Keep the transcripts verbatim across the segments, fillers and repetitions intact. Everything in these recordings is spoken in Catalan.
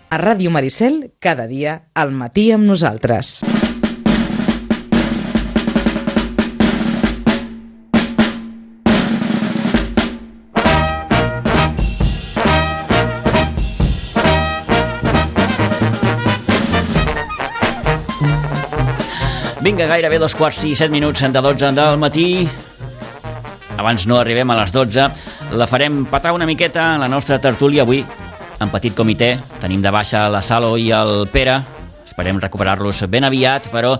A Ràdio Maricel, cada dia, al matí amb nosaltres. Vinga, gairebé dos quarts i set minuts de dotze del matí. Abans no arribem a les dotze. La farem petar una miqueta en la nostra tertúlia avui, en petit comitè. Tenim de baixa la Salo i el Pere. Esperem recuperar-los ben aviat, però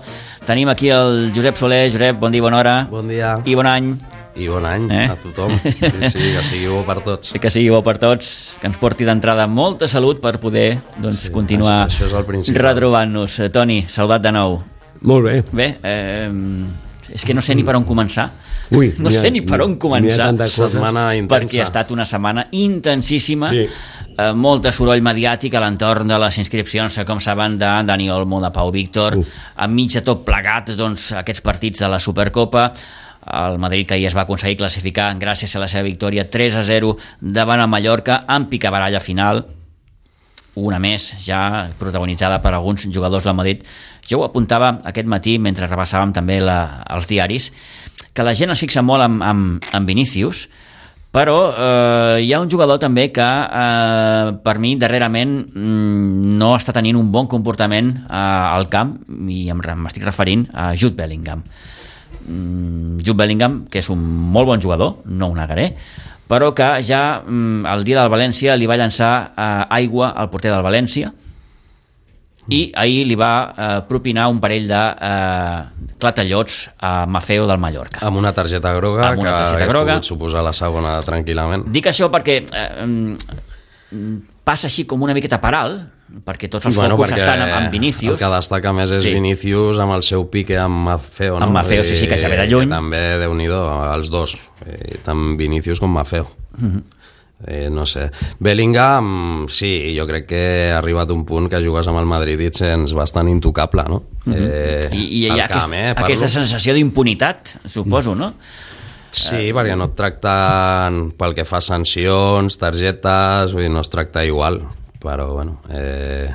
tenim aquí el Josep Soler. Josep, bon dia, bona hora. Bon dia. I bon any. I bon any eh? a tothom. Sí, sí, que sigui bo per tots. Que sigui bo per tots, que ens porti d'entrada molta salut per poder doncs, sí, continuar això, això és el retrobant-nos. Toni, saludat de nou. Molt bé. Bé, eh, és que no sé ni per on començar. Ui, no sé ni per on començar. Setmana intensa. Perquè ha estat una setmana intensíssima. Sí. Eh, molt soroll mediàtic a l'entorn de les inscripcions, com saben, de Dani Olmo, de Pau Víctor, uh. enmig de tot plegat, doncs, aquests partits de la Supercopa. El Madrid, que ahir es va aconseguir classificar gràcies a la seva victòria tres a zero davant el Mallorca, en picabaralla final, una més ja protagonitzada per alguns jugadors del Madrid. Jo ho apuntava aquest matí mentre repassàvem també la, els diaris, que la gent es fixa molt en, en, en Vinícius, però eh, hi ha un jugador també que eh, per mi darrerament mm, no està tenint un bon comportament eh, al camp, i m'estic referint a Jude Bellingham. Mm, Jude Bellingham, que és un molt bon jugador, no ho negaré, però que ja mm, el dia del València li va llançar eh, aigua al porter del València, i ahir li va eh, propinar un parell de eh, clatellots a Maffeo del Mallorca. Amb una targeta groga, amb una targeta que groga. Hagués pogut suposar la segona tranquil·lament. Dic això perquè eh, passa així com una miqueta per alt, perquè tots els bueno, focus estan amb, amb Vinícius. El que destaca més és sí. Vinícius amb el seu pique amb Maffeo, no? Amb Maffeo, sí, sí, que ja ve de lluny. També, Déu-n'hi-do, els dos, eh, tant Vinícius com Maffeo. Uh-huh. Eh, no sé, Bellingham sí, jo crec que ha arribat un punt que jugues amb el Madrid i et sents bastant intocable, no? eh, I, i hi ha camp, aquest, eh, aquesta sensació d'impunitat, suposo, no? Sí, perquè no et tracten pel que fa sancions, targetes, vull dir, no es tracta igual, però bueno eh...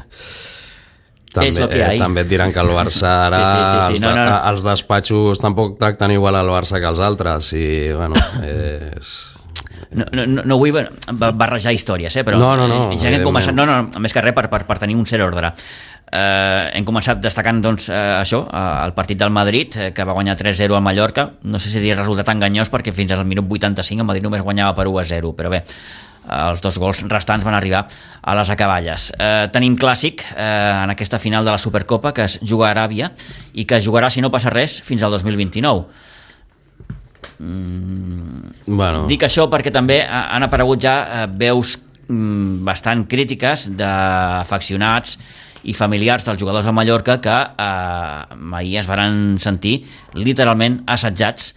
També, eh, també et diran que el Barça ara sí, sí, sí, sí. No, no, no. Els despatxos tampoc tracten igual al Barça que els altres i bueno és... No, no, no vull barrejar històries, eh, però no, no, no, ja hem començat, no, no, més que res per, per, per tenir un cert ordre. Eh, hem començat destacant doncs, eh, això, eh, el partit del Madrid, eh, que va guanyar tres a zero al Mallorca. No sé si dir resultat enganyós, perquè fins al minut vuitanta-cinc el Madrid només guanyava per u a zero, però bé, els dos gols restants van arribar a les acaballes. Eh, tenim clàssic eh, en aquesta final de la Supercopa, que es juga a Aràbia i que es jugarà, si no passa res, fins al dos mil vint-i-nou. Mm, bueno. Dic això perquè també han aparegut ja eh, veus mm, bastant crítiques d'afeccionats i familiars dels jugadors del Mallorca que eh, ahir es van sentir literalment assetjats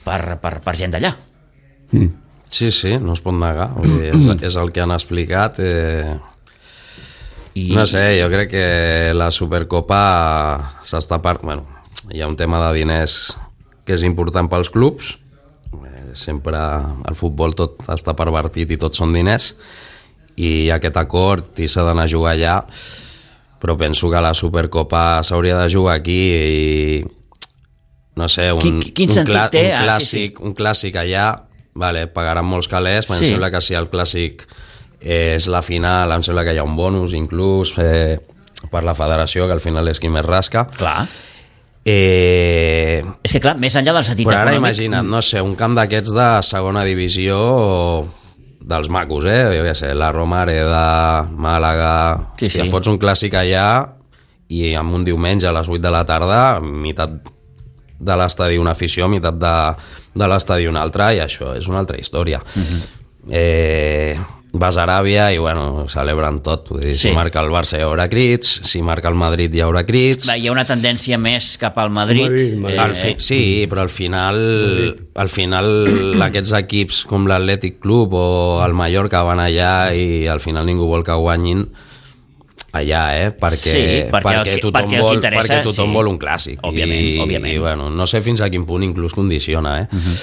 per, per, per gent d'allà. Mm. Sí, sí, no es pot negar. Vull dir, és, és el que han explicat. Eh... I... No sé, jo crec que la Supercopa s'està per... Bueno, hi ha un tema de diners que és important pels clubs. Eh, sempre al futbol tot està pervertit i tot són diners, i hi ha aquest acord i s'ha d'anar a jugar allà, però penso que la Supercopa s'hauria de jugar aquí i no sé, un, quin, quin un, clà, té? un, clàssic, ah, sí, sí. un clàssic allà, vale, pagaran molts calés, però sí. Em sembla que si el clàssic és la final, em sembla que hi ha un bonus inclús eh, per la federació, que al final és qui més rasca. Clar. Eh... És que clar, més enllà del sentit però ara econòmic... imagina't, no sé, un camp d'aquests de segona divisió dels macos, eh? Jo què sé, la Romareda, Màlaga... Sí, si sí. et fots un clàssic allà i amb un diumenge a les vuit de la tarda, meitat de l'estadi una afició, meitat de, de l'estadi una altra, i això és una altra història. Uh-huh. Eh... Vas a Aràbia i bueno, celebren tot. Vull dir, sí. Si marca el Barça hi haurà crits, si marca el Madrid hi haurà crits. Va, hi ha una tendència més cap al Madrid. Madrid, Madrid. Eh, al fi, sí, però al final al final aquests equips com l'Atlètic Club o el Mallorca van allà i al final ningú vol que guanyin allà, eh? Perquè, sí, perquè, perquè el, tothom, perquè vol, perquè perquè tothom sí. vol un clàssic. Òbviament, I, òbviament. I, bueno, no sé fins a quin punt inclús condiciona, eh? Uh-huh.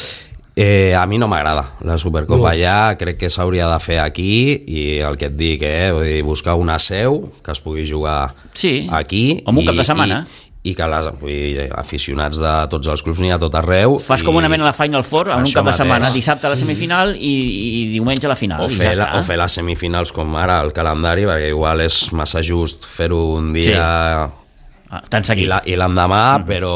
Eh, a mi no m'agrada la Supercopa, no. Ja crec que s'hauria de fer aquí i el que et dic, eh, vull dir, buscar una seu que es pugui jugar sí. aquí o un cap de setmana i, i que les vull dir, aficionats de tots els clubs n'hi ha tot arreu. Fas i... com una mena de Final Four en un cap de mateix. Setmana, dissabte a la semifinal i, i diumenge a la final o i fer, ja la, està. o fer les semifinals com ara el calendari, perquè igual és massa just fer-ho un dia sí. tan seguit i l'endemà, mm-hmm. però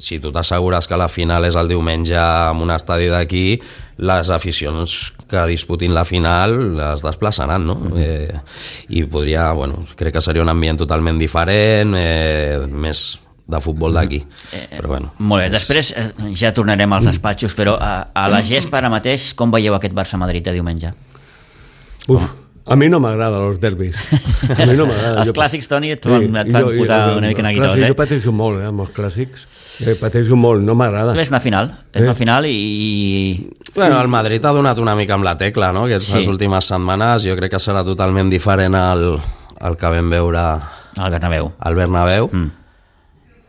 si tu t'assegures que la final és el diumenge en un estadi d'aquí, les aficions que disputin la final es desplaçaran, no? Mm-hmm. Eh, I podria, bueno, crec que seria un ambient totalment diferent, eh, més de futbol d'aquí. Eh, però bueno. Molt bé, és... després eh, ja tornarem als despatxos, però a, a la gespa ara mateix, com veieu aquest Barça-Madrid de diumenge? Uf, a mi no m'agrada els derbis. A mi no m'agrada. Els jo... clàssics, Toni, et van, et van jo, posar jo, jo, una mica neguitós, eh? Jo pateixo molt, eh, amb els clàssics. Eh, pateixo molt, no m'agrada. És una final, és eh? una final i... Bueno, el Madrid ha donat una mica amb la tecla, no? Aquestes sí. últimes setmanes jo crec que serà totalment diferent al, al que vam veure al Bernabéu. Al Bernabéu. Mm.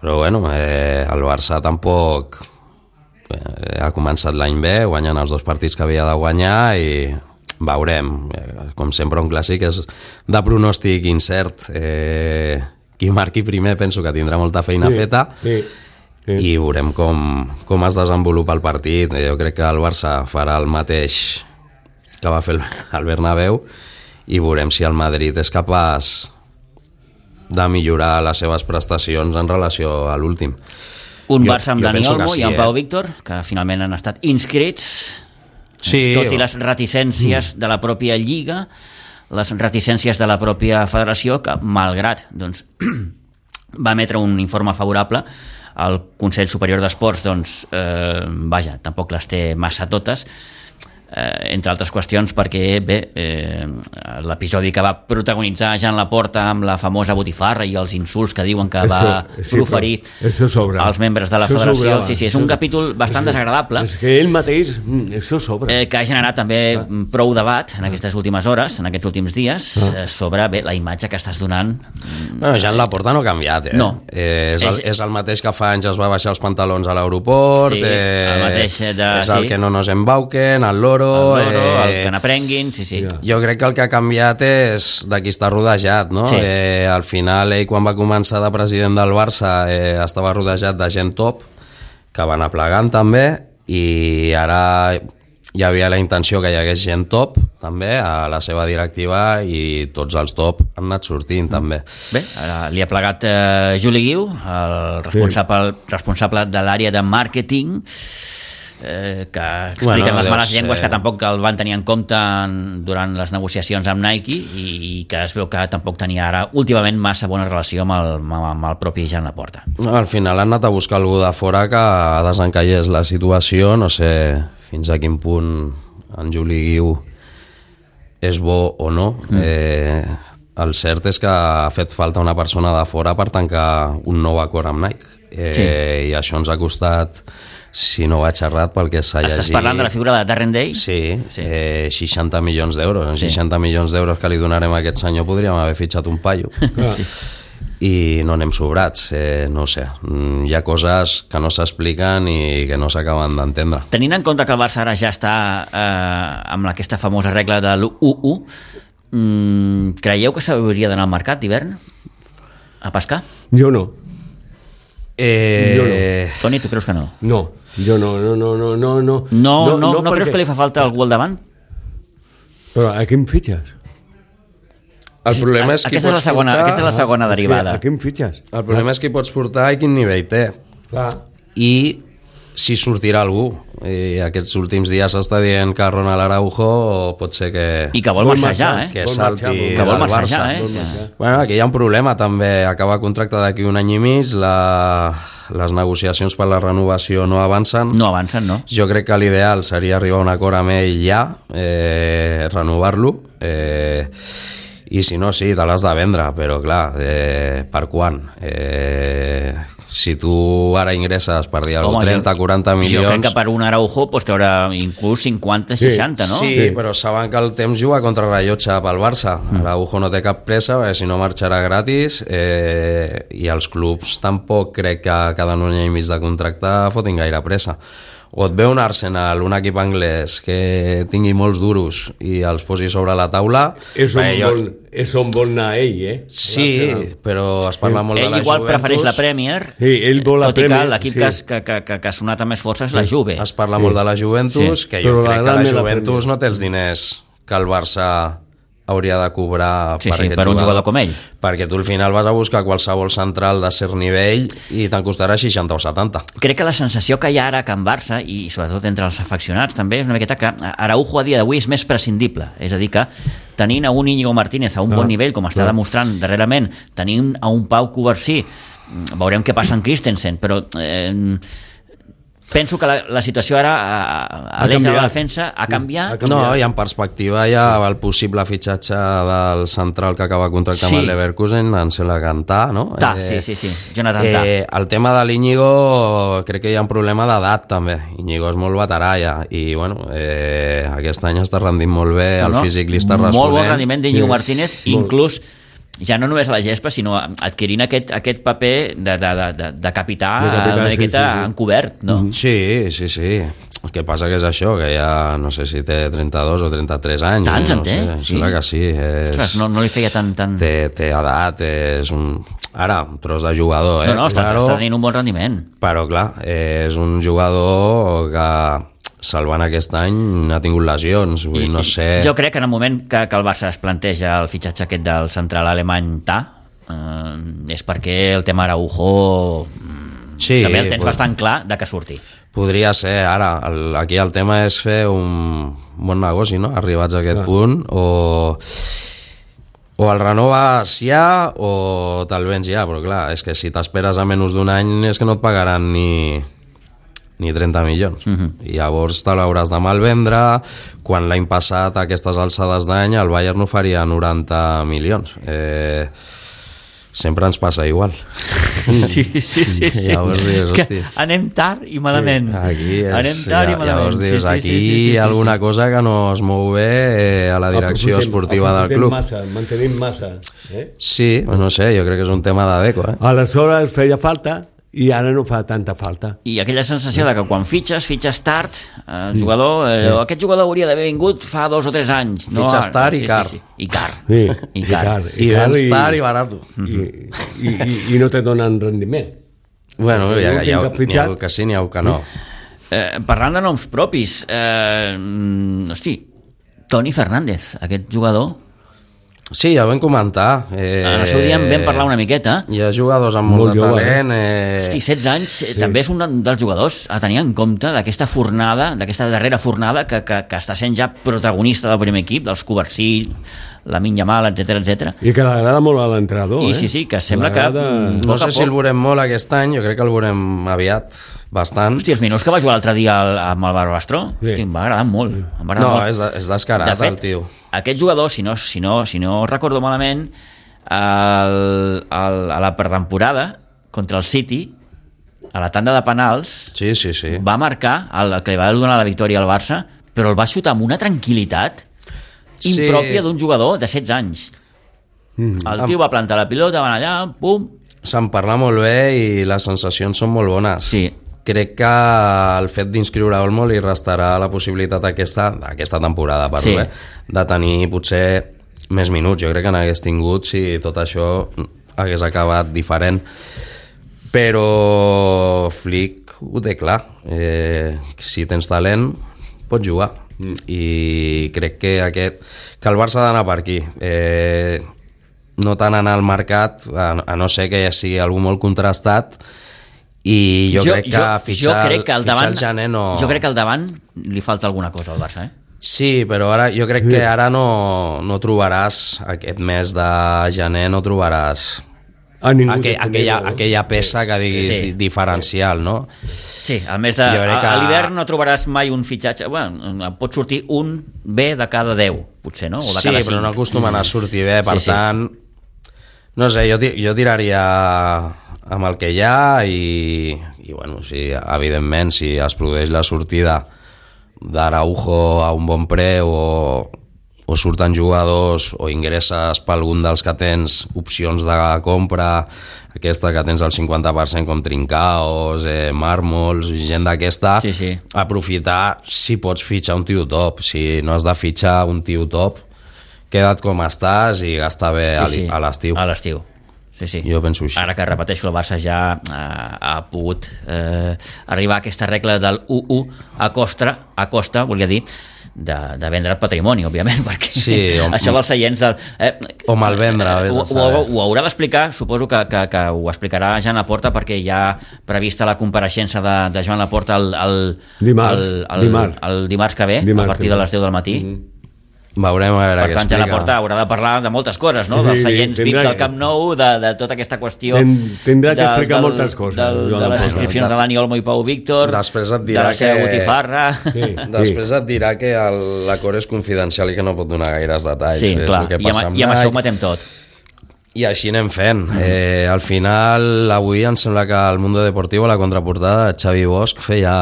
Però bueno, eh, el Barça tampoc eh, ha començat l'any bé, guanyant els dos partits que havia de guanyar i veurem. Eh, com sempre un clàssic és de pronòstic incert. Eh, qui marqui primer penso que tindrà molta feina sí, feta sí, sí. i veurem com, com es desenvolupa el partit. Jo crec que el Barça farà el mateix que va fer el Bernabéu i veurem si el Madrid és capaç de millorar les seves prestacions en relació a l'últim. Un jo, Barça amb Dani Olmo sí, i amb eh? Pau Víctor, que finalment han estat inscrits, sí, tot i les reticències mm. de la pròpia Lliga, les reticències de la pròpia federació, que malgrat doncs, va emetre un informe favorable, el Consell Superior d'Esports, doncs, eh, vaja, tampoc les té massa totes, Eh, entre altres qüestions perquè bé, eh, l'episodi que va protagonitzar Jean Laporta amb la famosa botifarra i els insults que diuen que eso, va sí, proferir als membres de la això federació sobrava, sí, sí, és un capítol bastant això, desagradable és que ell mateix, això sobra eh, que ha generat també ah. prou debat en aquestes últimes hores, en aquests últims dies ah. eh, sobre bé, la imatge que estàs donant. Bueno, Jean Laporta no ha canviat eh? no. Eh, és, el, és el mateix que fa anys es va baixar els pantalons a l'aeroport, sí, eh, el mateix de, és el sí. que no nos embauquen, el loro, el loro eh, el que n'aprenguin, sí, sí. Jo crec que el que ha canviat és de qui està rodejat, no? Sí. Eh, al final, ell quan va començar de president del Barça eh, estava rodejat de gent top, que va anar plegant també, i ara hi havia la intenció que hi hagués gent top també a la seva directiva i tots els top han anat sortint mm. també. Bé, ara li ha plegat eh, Juli Guiu, el responsable, sí. responsable de l'àrea de màrqueting, Eh, que expliquen bueno, les males ser... llengües que tampoc el van tenir en compte en, durant les negociacions amb Nike i, i que es veu que tampoc tenia ara últimament massa bona relació amb el, amb el propi Jean Laporta. No, al final han anat a buscar algú de fora que desencallés la situació, no sé fins a quin punt en Juli Guiu és bo o no. Mm. Eh, el cert és que ha fet falta una persona de fora per tancar un nou acord amb Nike eh, sí. i això ens ha costat, si no vaig errat pel que s'ha llegit... Estàs parlant de la figura de Darren Day? Sí, sí. Eh, seixanta milions d'euros. En sí. seixanta milions d'euros que li donarem a aquest senyor podríem haver fitxat un paio. Sí. I no anem sobrats. Eh, no sé, hi ha coses que no s'expliquen i que no s'acaben d'entendre. Tenint en compte que el Barça ara ja està eh, amb aquesta famosa regla de l'u u, mm, creieu que s'hauria d'anar al mercat d'hivern a pescar? Jo no. Eh... Jo no. Toni, tu creus que no? No, jo no, no, no, no, no, no. No, no, no, no perquè... creus que li fa falta algú al davant? Però a què em fitxes? El problema és qui aquesta pots és la segona, portar... Aquesta és la segona ah, derivada. A què em fitxes? El problema ah. és qui pots portar i quin nivell té. Clar. I si sortirà algú. I aquests últims dies s'està dient que Ronald Araujo pot ser que... I que vol marxar ja, eh? Que salti que vol del marxar Barça. Ja, eh? Bueno, aquí hi ha un problema també. Acaba contracte d'aquí un any i mig, la... les negociacions per la renovació no avancen. No avancen, no. Jo crec que l'ideal seria arribar a un acord amb ell ja, eh, renovar-lo, eh, i si no, sí, te l'has de vendre, però clar, eh, per quan? Eh, si tu ara ingresses per dir alguna cosa, trenta quaranta milions... Jo crec que per un Araujo pues, t'haurà inclús cinquanta seixanta, no? Sí, sí, però saben que el temps juga contra rellotge pel Barça. Mm. Araujo no té cap pressa, perquè si no marxarà gratis, eh, i els clubs tampoc crec que cada un any i mig de contracte fotin gaire pressa. o et ve un Arsenal, un equip anglès que tingui molts duros i els posi sobre la taula... És on, jo... vol, és on vol anar ell, eh? Sí, però es parla molt ell de la igual Juventus. Prefereix la Premier, sí, ell vol la tot Premier, i que l'equip sí. que, que, que, que ha sonat amb més força és la Juve. Es parla sí. molt de la Juventus, sí. que jo però crec que la Juventus la no té els diners que el Barça hauria de cobrar sí, per, sí, aquest per un jugador. jugador com ell. Perquè tu al final vas a buscar qualsevol central de cert nivell i te'n costarà seixanta o setanta. Crec que la sensació que hi ha ara a Can Barça, i sobretot entre els afeccionats també, és una miqueta que Araujo a dia d'avui és més prescindible. És a dir que tenint a un Íñigo Martínez a un ah, bon nivell, com està ah. demostrant darrerament, tenint a un Pau Covarsí, veurem què passa amb Christensen, però... Eh, penso que la, la situació ara a, a l'eix de la defensa ha canviat. No, i en perspectiva hi ha el possible fitxatge del central que acaba contractant sí. amb el Leverkusen, Ansel Gantà, no? Ta, eh, sí, sí, sí, Jonathan Ta. Eh, el tema de l'Íñigo crec que hi ha un problema d'edat també. Íñigo és molt veterà ja i bueno, eh, aquest any està rendint molt bé, no, el no? físic li està responent. Molt bon rendiment d'Íñigo sí. Martínez, inclús ja no només a la gespa, sinó adquirint aquest, aquest paper de, de, de, de capità, de capità una miqueta sí, sí. encobert, no? Sí, sí, sí. El que passa que és això, que ja no sé si té trenta-dos o trenta-tres anys. Tants en no té? Sé, sí. Sembla que sí. És... Ostres, no, no li feia tant... tant... Té, té edat, és un... Ara, un tros de jugador, eh? No, no, està, claro, està tenint un bon rendiment. Però, clar, és un jugador que... salvant aquest any ha tingut lesions, vull, I, no sé... Jo crec que en el moment que, que el Barça es planteja el fitxatge aquest del central alemany Ta, eh, és perquè el tema Araujo sí, també el tens pot... bastant clar de que surti. Podria ser, ara, el, aquí el tema és fer un bon negoci, no?, arribats a aquest ah. punt, o... o el renoves ja o te'l vens ja, però clar, és que si t'esperes a menys d'un any és que no et pagaran ni... ni trenta milions. Uh-huh. I llavors te l'hauràs de malvendre, quan l'any passat a aquestes alçades d'any el Bayern no faria noranta milions. Eh, sempre ens passa igual. Sí, sí, sí. sí. Llavors dius, hosti... anem tard i malament. Sí, aquí és, anem tard ja, i malament. Llavors dius, sí, sí, aquí sí, sí, sí, hi ha alguna sí. cosa que no es mou bé eh, a la direcció aprofitem, esportiva del club. Massa, mantenim massa. Eh? Sí, no sé, jo crec que és un tema d'adeco. Eh? Aleshores feia falta i ara no fa tanta falta. I aquella sensació de que quan fitxes, fitxes tard, el jugador, eh, sí. aquest jugador hauria d'haver vingut fa dos o tres anys. No? Fitxes tard sí, i car. Sí, sí. I car. Sí. I car. I, I vens tard i barat. I, i, i, i no te donen rendiment. Bueno, hi ha, hi ha, hi ha que sí, n'hi ha que no. Eh, parlant de noms propis, eh, hosti, Toni Fernández, aquest jugador... Sí, ja ho vam comentar. Eh, en el seu dia en vam parlar una miqueta. Hi ha jugadors amb molt, molt de talent. Eh... Hosti, setze anys sí. també és un dels jugadors a tenir en compte d'aquesta fornada, d'aquesta darrera fornada que, que, que està sent ja protagonista del primer equip, dels Covarsí, Lamine Yamal, etcètera, etcètera. I que l'agrada molt a l'entrenador, eh? I sí, sí, que sembla que... No sé si el veurem molt aquest any, jo crec que el veurem aviat, bastant. Hosti, els minuts que va jugar l'altre dia amb el Barbastró, sí. hosti, em va agradar molt. Em va agradar no, molt. És, de, és descarat, de fet, el tio. Aquest jugador, si no, si no, si no recordo malament, el, el, a la pretemporada contra el City, a la tanda de penals, sí, sí, sí. va marcar el que li va donar la victòria al Barça, però el va xutar amb una tranquil·litat sí. impròpia d'un jugador de setze anys. Mm. El tio va plantar la pilota, van allà, pum... Se'n parla molt bé i les sensacions són molt bones. Sí. Crec que el fet d'inscriure Olmo li restarà la possibilitat aquesta, aquesta temporada, parlo, sí. eh, de tenir potser més minuts. Jo crec que n'hagués tingut si tot això hagués acabat diferent. Però Flick ho té clar. Eh, si tens talent, pots jugar. Mm. I crec que, aquest, que el Barça ha d'anar per aquí. Eh, no tant anar al mercat, a, a no ser que ja sigui algú molt contrastat, i jo, jo crec que jo, fitxar, jo crec que al davant, el gener no... Jo crec que al davant li falta alguna cosa al Barça, eh? Sí, però ara jo crec que ara no, no trobaràs, aquest mes de gener no trobaràs aquell, aquella, aquella peça que diguis sí. diferencial, no? Sí, al mes de... Que... A l'hivern no trobaràs mai un fitxatge... Bueno, pot sortir un bé de cada deu, potser, no? O de sí, cada però cinc. no acostumen a sortir bé, per sí, tant... Sí. No sé, jo, jo tiraria amb el que hi ha i, i bueno, sí, evidentment, si es produeix la sortida d'Araujo a un bon preu o, o o surten jugadors o ingresses per algun dels que tens opcions de compra, aquesta que tens el cinquanta per cent com Trincaos, eh, Mármols, gent d'aquesta, sí, sí. aprofitar si pots fitxar un tio top. Si no has de fitxar un tio top, queda't com estàs i gasta bé sí, sí. a l'estiu. A l'estiu. Sí, sí. Jo penso així. Ara que repeteixo, el Barça ja eh, ha pogut eh, arribar a aquesta regla del u u a costa, a costa volia dir, de, de vendre patrimoni, òbviament, perquè sí, o, això dels seients... Del, eh, o malvendre. Eh, ho, ho, ho haurà d'explicar, suposo que, que, que ho explicarà Joan Laporta, perquè hi ha prevista la compareixença de, de Joan Laporta el, el, dimarts, el, el, dimarts. el dimarts que ve, dimarts, a partir de les deu del matí. Mm-hmm. Veurem a veure per què tant, explica. Joan Laporta haurà de parlar de moltes coses, no? Dels seients sí, V I P del Camp Nou, de, de tota aquesta qüestió tindrà que explicar del, moltes coses del, de les inscripcions de Dani Olmo i Pau Víctor, després et dirà de la seva que... botifarra sí, després sí. et dirà que l'acord és confidencial i que no pot donar gaires detalls. Sí, és clar, que i, amb, i amb això ho matem tot. I així anem fent. Eh, al final, avui em sembla que al Mundo Deportivo, a la contraportada, Xavi Bosch feia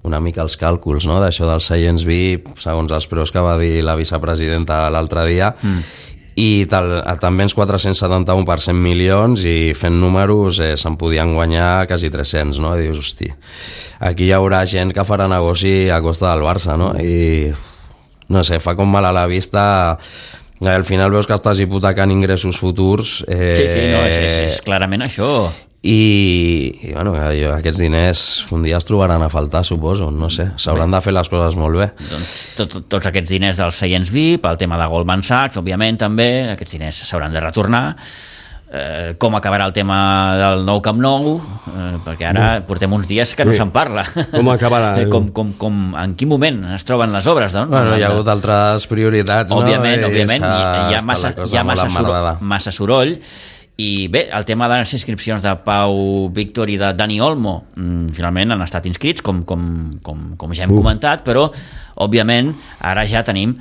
una mica els càlculs, no?, d'això dels seients V I P, segons els preus que va dir la vicepresidenta l'altre dia, mm. i tal, també ens quatre-cents setanta-un per cent milions i fent números eh, se'n podien guanyar quasi tres-cents, no? I dius, hosti, aquí hi haurà gent que farà negoci a costa del Barça, no? I no sé, fa com mal a la vista. Al final veus que estàs hipotecant ingressos futurs. Eh, sí, sí, no, és, és, és clarament això. I, i bueno, aquests diners un dia es trobaran a faltar, suposo, no sé, s'hauran de fer les coses molt bé. Doncs tot, tots aquests diners dels seients V I P, el tema de Goldman Sachs, òbviament també, aquests diners s'hauran de retornar. Eh, com acabarà el tema del nou Camp Nou, eh, perquè ara portem uns dies que no sí. se'n parla. Com acabarà? com, com, com, en quin moment es troben les obres? Doncs? Bueno, hi ha hagut altres prioritats, òbviament, no? Òbviament, hi, hi ha massa, hi ha massa, soroll, massa soroll. I bé, el tema de les inscripcions de Pau Víctor i de Dani Olmo mm, finalment han estat inscrits, com, com, com, com ja hem uh. comentat, però òbviament ara ja tenim,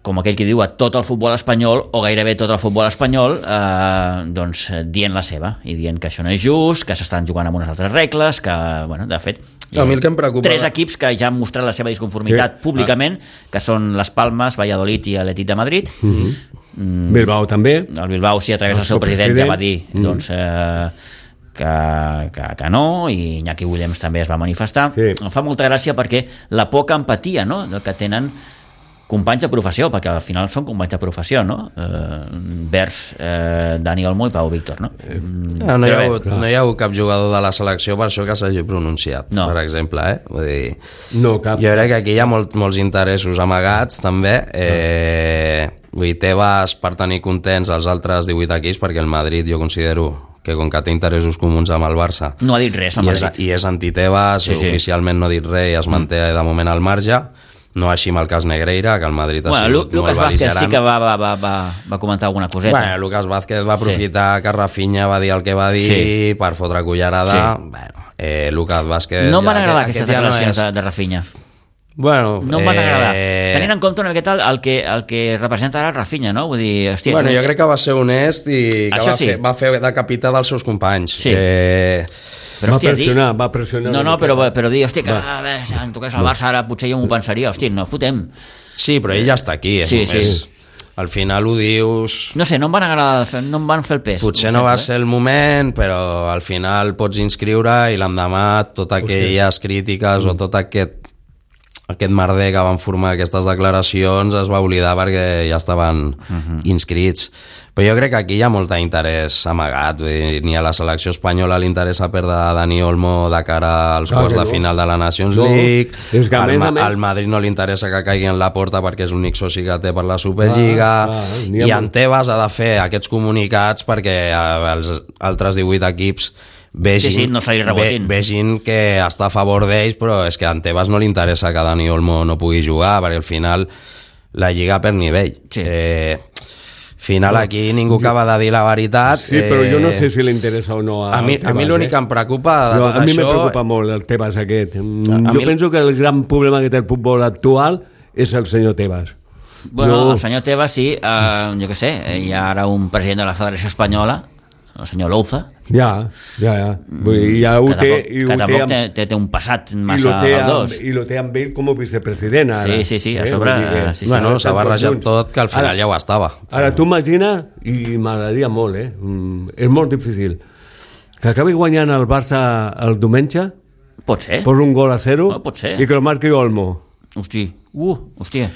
com aquell que diu, a tot el futbol espanyol, o gairebé tot el futbol espanyol, eh, doncs dient la seva, i dient que això no és just, que s'estan jugant amb unes altres regles, que, bueno, de fet, hi ha a mi el que em preocupa... tres equips que ja han mostrat la seva disconformitat sí. públicament, que són les Palmes, Valladolid i l'Atlètic de Madrid. Uh-huh. Mm, Bilbao també. El Bilbao, sí, a través del seu president, president ja va dir mm. doncs, eh, que, que, que no, i Iñaki Williams també es va manifestar. Sí. Em fa molta gràcia perquè la poca empatia, no?, que tenen companys de professió, perquè al final són companys de professió, no? Eh, vers eh, Dani Olmo i Pau Víctor, no? Ah, no, hi ha hagut, no hi ha hagut cap jugador de la selecció per això que s'hagi pronunciat, no. per exemple, eh? Vull dir, no, cap. Jo crec que aquí hi ha molt, molts interessos amagats, també. Eh, vull dir, Tebas per tenir contents els altres divuit equips, perquè el Madrid jo considero que com que té interessos comuns amb el Barça no ha dit res al Madrid i és, és anti-Tebas, sí, sí. oficialment no ha dit res i es manté mm. de moment al marge. No així amb el cas Negreira, que el Madrid ha bueno, sigut Lucas molt bel·ligerant. Vázquez sí que va, va, va, va, va comentar alguna coseta. Bueno, Lucas Vázquez va aprofitar sí. que Rafinha va dir el que va dir sí. per fotre cullerada. Sí. Bueno, eh, Lucas Vázquez... No m'han agradat aquestes declaracions no és... de, de Rafinha. Bueno, no em van agradar. Eh... Tenint en compte una miqueta el que, el que representa ara Rafinha, no? Vull dir, hòstia... Bueno, tu... jo crec que va ser honest i que va, sí. fer, va fer de capità dels seus companys. Sí. Eh... Però, va, hòstia, pressionar, dir... va pressionar no, no, però, però dir, hòstia, que a veure, si em toqués el Barça ara potser jo m'ho pensaria, hòstia, no fotem. Sí, però ell ja està aquí. Sí, sí. És, al final ho dius... No sé, no em van agradar, no em van fer el pes. Potser no va ser el moment, però al final pots inscriure i l'endemà totes aquelles crítiques mm. o tot aquest aquest merder que van formar aquestes declaracions es va oblidar perquè ja estaven uh-huh. inscrits. Però jo crec que aquí hi ha molt d'interès amagat. Ni a la selecció espanyola li interessa perdre Dani Olmo de cara als quarts de no. final de la Nations no. League. És que al, a més, al Madrid no li interessa que caigui en la porta perquè és l'únic soci que té per la Superliga. Ah, ah, I en Tebas ha de fer aquests comunicats perquè els altres divuit equips Vegin, sí, sí, no ve, vegin que està a favor d'ells, però és que a Tebas no li interessa que Dani Olmo no pugui jugar, perquè al final la lliga per nivell. Sí. Eh, final aquí ningú acaba de dir la veritat. Sí, però jo no sé si li interessa o no a, a mi, Tebas, a mi l'únic eh? que em preocupa de no, tot a mi això... me preocupa molt el Tebas aquest. A jo mi... penso que el gran problema que té el futbol actual és el senyor Tebas. Bueno, no... el senyor Tebas sí, eh, jo què sé, hi ha ara un president de la Federació Espanyola, el senyor Louza, Ja, ja, ja. Vull dir, ja ho que té... tampoc, i ho que tampoc amb, té, té, té un passat i lo massa té galdós. amb, I lo té amb ell com a vicepresident, ara. Sí, sí, sí, a sobre, Vull dir que, sí, sí. Bueno, s'ha estan barrejat junts. tot, que al final Ara- ja ho estava. Ara, tu imagina, i m'agradaria molt, eh? Mm, és molt difícil, que acabi guanyant el Barça el diumenge Pot ser. per un gol a zero No, pot ser. i que el marqui Olmo. Hosti, uh, hòstia.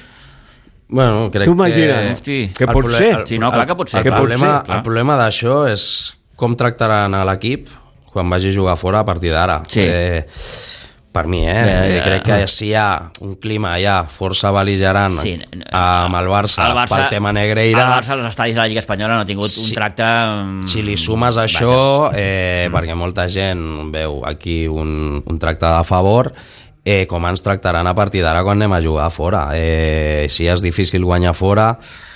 Bueno, crec Tu imagina, que... Hosti. que el pot proble- ser. el- Sí, no, clar que pot ser. El, Que pot problema, ser, clar. el problema d'això és com tractaran a l'equip quan vagi a jugar fora a partir d'ara. Sí. Eh, per mi, eh? Ja, ja, Crec que si hi ha un clima ja força bel·ligerant Sí, amb el Barça, el Barça pel tema Negreira, el Barça als estadis de la Lliga Espanyola no ha tingut Sí. un tracte... mm, si li sumes això, eh, perquè molta gent veu aquí un, un tracte de favor, eh, com ens tractaran a partir d'ara quan anem a jugar fora. Eh, si és difícil guanyar fora,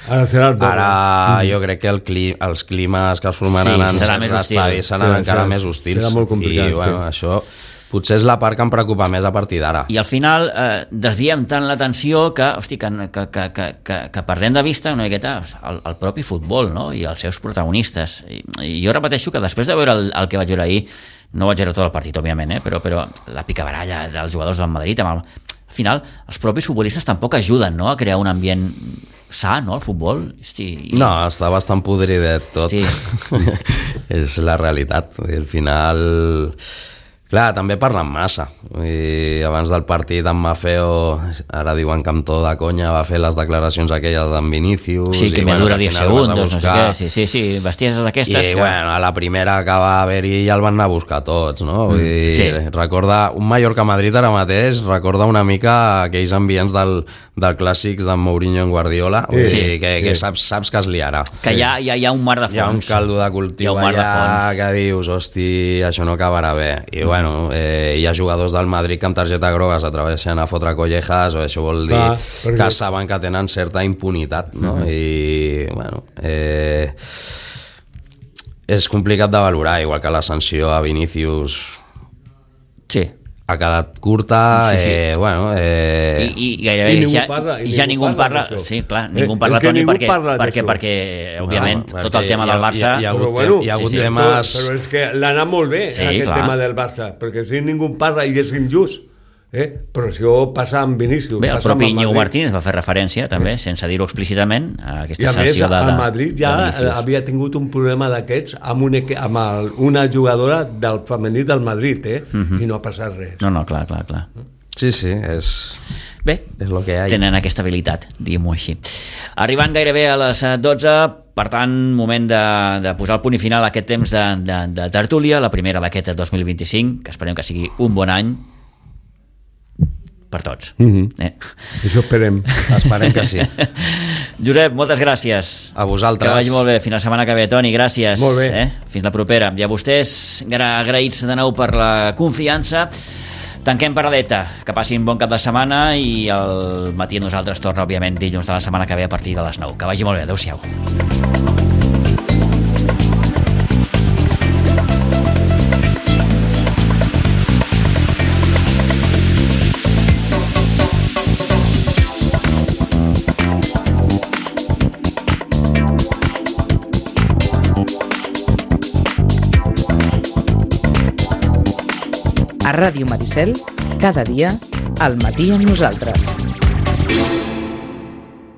Ara serà el doble. ara jo crec que el cli els climes que es formaran Sí, en serà certs més hostil. estadis seran Serà- encara serà- més hostils. serà molt complicat, I bueno, sí. això potser és la part que em preocupa més a partir d'ara. I al final eh, desviem tant l'atenció que, hosti, que, que, que, que, que, que perdem de vista una miqueta el, el propi futbol, no? I els seus protagonistes. I, i jo repeteixo que després de veure el, el que vaig veure ahir, no vaig veure tot el partit, òbviament, eh? però, però la picabaralla dels jugadors del Madrid, amb el, al final, els propis futbolistes tampoc ajuden, no?, a crear un ambient sa, no?, al futbol. Hosti, i... No, està bastant podridet tot. Sí. És la realitat. I al final... Clar, també parlen massa. I abans del partit en Mafeo, ara diuen que amb to de conya va fer les declaracions aquelles d'en Vinícius. Sí, que i, me bueno, dura al diez final vas a segundos, no sé buscar- què. Sí, sí, sí, bestieses d'aquestes. I que... bueno, a la primera que va haver-hi ja el van anar a buscar tots, no? Vull dir, sí. recorda, un Mallorca-Madrid ara mateix recorda una mica aquells ambients del, del clàssics d'en Mourinho en Guardiola, vull Sí, dir, que, que sí. saps, saps que es liarà. que hi ha, hi ha, hi ha un mar de fons. Hi ha un caldo de Hi ha cultiu un mar de allà fons. que dius, hosti, això no acabarà bé. I bueno, eh, hi ha jugadors del Madrid que amb targeta groga s'atreveixen a fotre collejas, o això vol dir Clar, que perquè- saben que tenen certa impunitat, no? I bueno, eh, és complicat de valorar, igual que la sanció a Vinícius Sí. ha quedat curta, Sí, sí. eh, bueno... Eh, I, i gairebé I ningú ja, parla- i i ja ningú ningú parla parla, d'això. sí, clar, Eh, ningú és parla, que Toni, ningú perquè, parla perquè, d'això. perquè òbviament, No, tot el perquè tema hi ha- del Barça... hi ha- hi ha Però hagut bueno, tem- hi ha hagut sí, sí. temes... Però és que l'ha anat molt bé, Sí, aquest clar. tema del Barça, perquè si ningú parla i és injust. Eh? Però això passa amb Vinícius. Bé, el passa amb propi Íñigo Madrid. Martínez va fer referència, també, sense dir-ho explícitament, a I aquesta a més, sanció de, de, el Madrid ja de Vinícius. havia tingut un problema d'aquests amb, un, equi- amb el, una jugadora del femení del Madrid, eh? Mhm. I no ha passat res. No, no, clar, clar, clar. Sí, sí, és, Bé, és el que hi ha. tenen aquesta habilitat, diguem-ho així. Arribant gairebé a les dotze, per tant, moment de, de posar el punt i final a aquest temps de, de, de tertúlia, la primera d'aquest dos mil vint-i-cinc, que esperem que sigui un bon any per tots. Mhm. eh? Això esperem. Esperem que sí. Josep, moltes gràcies. A vosaltres. Que vagi molt bé. Fins la setmana que ve, Toni, gràcies. Molt bé. Eh? Fins la propera. I a vostès, gra- agraïts de nou per la confiança. Tanquem paradeta. Que passin bon cap de setmana i el matí nosaltres torna, òbviament, dilluns de la setmana que ve a partir de les nou. Que vagi molt bé. Adéu-siau. A Ràdio Maricel, cada dia, al matí amb nosaltres.